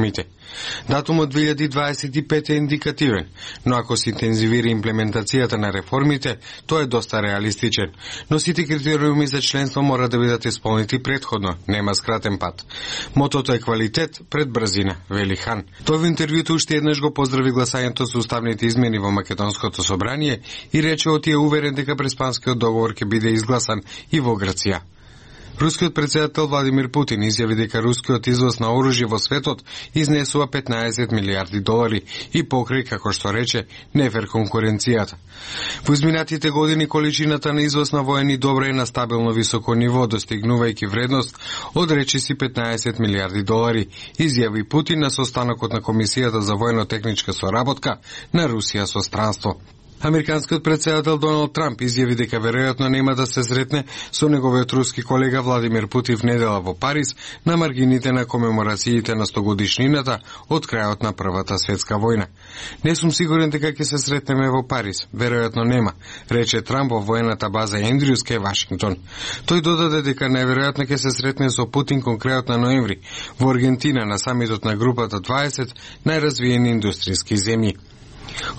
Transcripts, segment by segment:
реформите. Датумот 2025 е индикативен, но ако се интензивира имплементацијата на реформите, тој е доста реалистичен. Но сите критериуми за членство мора да бидат исполнети претходно, нема скратен пат. Мотото е квалитет пред брзина, вели Хан. Тој во интервјуто уште еднаш го поздрави гласањето со уставните измени во Македонското собрание и рече оти е уверен дека преспанскиот договор ќе биде изгласан и во Грција. Рускиот председател Владимир Путин изјави дека рускиот извоз на оружје во светот изнесува 15 милиарди долари и покри, како што рече, нефер конкуренцијата. Во изминатите години количината на извоз на воени добра е на стабилно високо ниво, достигнувајќи вредност од речиси 15 милиарди долари, изјави Путин на состанокот на Комисијата за воено-техничка соработка на Русија со странство. Американскиот председател Доналд Трамп изјави дека веројатно нема да се сретне со неговиот руски колега Владимир Путин в недела во Париз на маргините на комеморациите на 100-годишнината од крајот на Првата светска војна. Не сум сигурен дека ќе се сретнеме во Париз, веројатно нема, рече Трамп во воената база Ендрюс кај Вашингтон. Тој додаде дека најверојатно ќе се сретне со Путин кон крајот на ноември во Аргентина на самитот на групата 20 најразвиени индустријски земји.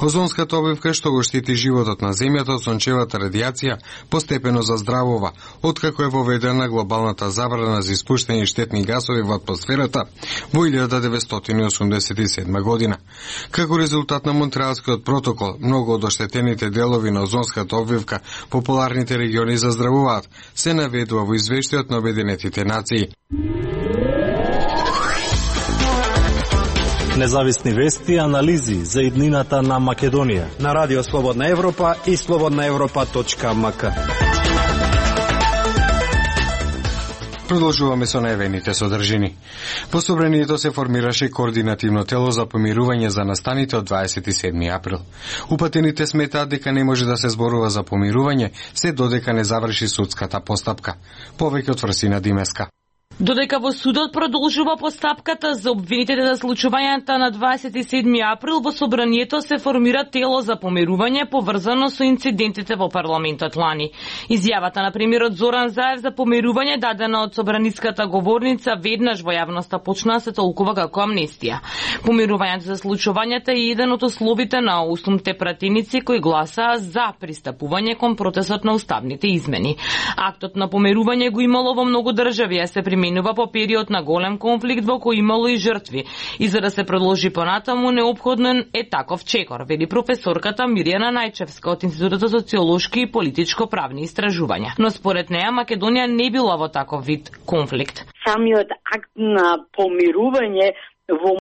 Озонската обивка што го штити животот на земјата од сончевата радијација постепено заздравува, откако е воведена глобалната забрана за испуштање штетни гасови во атмосферата во 1987 година. Како резултат на Монтреалскиот протокол, многу од оштетените делови на озонската обвивка во поларните региони заздравуваат, се наведува во извештајот на Обединетите нации. Независни вести и анализи за иднината на Македонија на Радио Слободна Европа и slobodnaevropa.mk. Продолжуваме со најавените содржини. Во собранието се формираше координативно тело за помирување за настаните од 27 април. Упатените сметаат дека не може да се зборува за помирување се додека не заврши судската постапка. Повеќе од Фрсина Димеска. Додека во судот продолжува постапката за обвинетите за случувањата на 27 април, во собранието се формира тело за помирување поврзано со инцидентите во парламентот лани. Изјавата на премиерот Зоран Заев за помирување дадена од собраниската говорница веднаш во јавноста почна да се толкува како амнестија. Помирувањето за случувањата е еден од условите на 8 пратеници кои гласаа за пристапување кон процесот на уставните измени. Актот на помирување го имало во многу држави, а се применува по период на голем конфликт во кој имало и жртви. И за да се продолжи понатаму, неопходен е таков чекор, вели професорката Мирјана Најчевска од Институтот за социолошки и политичко-правни истражувања. Но според неа Македонија не била во таков вид конфликт. Самиот акт на помирување во